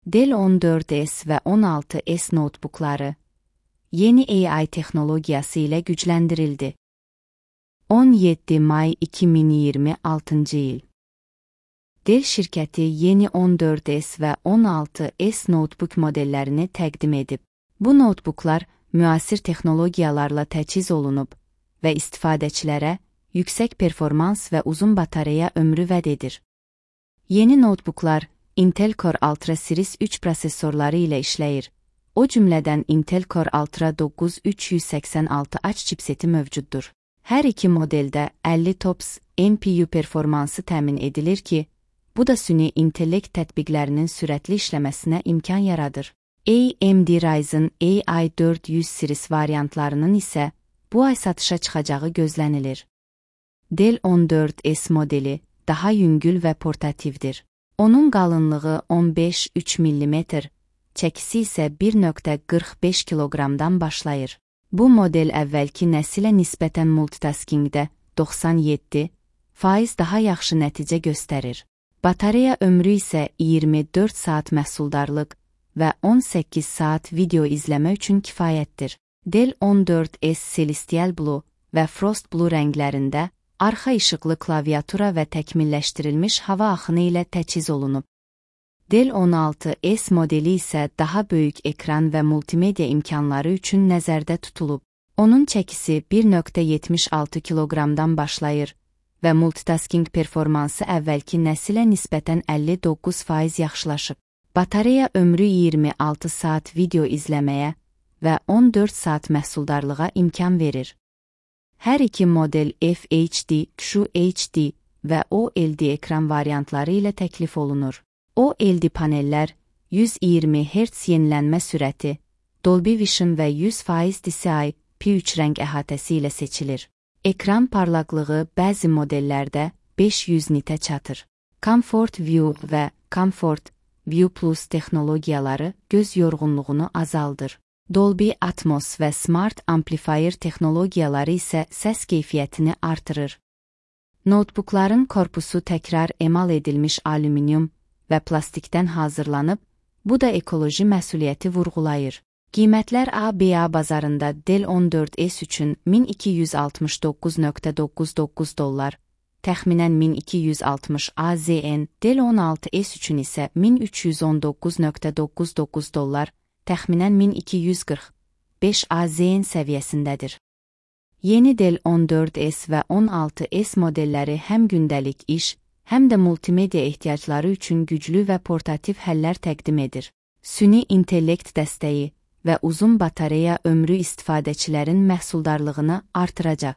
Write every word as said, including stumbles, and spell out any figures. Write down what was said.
Dell on dörd S və on altı S notebookları yeni A I texnologiyası ilə gücləndirildi. on yeddi may iki min iyirmi altıncı il. Dell şirkəti yeni on dörd S və on altı S notebook modellərini təqdim edib. Bu notebooklar müasir texnologiyalarla təchiz olunub və istifadəçilərə yüksək performans və uzun batareya ömrü vəd edir. Yeni notebooklar Intel Core Ultra Series üç prosesorları ilə işləyir. O cümlədən Intel Core Ultra doqquz üç yüz səksən altı H chipseti mövcuddur. Hər iki modeldə əlli TOPS N P U performansı təmin edilir ki, bu da süni intellekt tətbiqlərinin sürətli işləməsinə imkan yaradır. A M D Ryzen A I dörd yüz series variantlarının isə bu ay satışa çıxacağı gözlənilir. Dell on dörd S modeli daha yüngül və portativdir. Onun qalınlığı on beş üç millimetr, çəkisi isə bir nöqtə qırx beş kiloqramdan başlayır. Bu model əvvəlki nəsilə nisbətən multitaskingdə doxsan yeddi faiz daha yaxşı nəticə göstərir. Batareya ömrü isə iyirmi dörd saat məhsuldarlıq və on səkkiz saat video izləmə üçün kifayətdir. Dell on dörd S Celestial Blue və Frost Blue rənglərində arxa işıqlı klaviatura və təkmilləşdirilmiş hava axını ilə təchiz olunub. Dell on altı S modeli isə daha böyük ekran və multimedia imkanları üçün nəzərdə tutulub. Onun çəkisi bir nöqtə yetmiş altı kiloqramdan başlayır və multitasking performansı əvvəlki nəsilə nisbətən əlli doqquz faiz yaxşılaşıb. Batareya ömrü iyirmi altı saat video izləməyə və on dörd saat məhsuldarlığa imkan verir. Hər iki model F H D, Q H D və O L E D ekran variantları ilə təklif olunur. O L E D panellər yüz iyirmi hertz yenilənmə sürəti, Dolby Vision və yüz faiz D C I P üç rəng əhatəsi ilə seçilir. Ekran parlaqlığı bəzi modellərdə beş yüz nitə çatır. Comfort View və Comfort View Plus texnologiyaları göz yorğunluğunu azaldır. Dolby Atmos və Smart Amplifier texnologiyaları isə səs keyfiyyətini artırır. Notebookların korpusu təkrar emal edilmiş alüminium və plastikdən hazırlanıb, bu da ekoloji məsuliyyəti vurğulayır. Qiymətlər A B A bazarında Dell on dörd S üçün min iki yüz altmış doqquz nöqtə doqquz doqquz dollar, təxminən min iki yüz altmış A Z N, Dell on altı S üçün isə min üç yüz on doqquz nöqtə doqquz doqquz dollar, təxminən min iki yüz qırx beş A Z N səviyyəsindədir. Yeni Dell on dörd S və on altı S modelləri həm gündəlik iş, həm də multimedia ehtiyacları üçün güclü və portativ həllər təqdim edir. Süni intellekt dəstəyi və uzun batareya ömrü istifadəçilərin məhsuldarlığını artıracaq.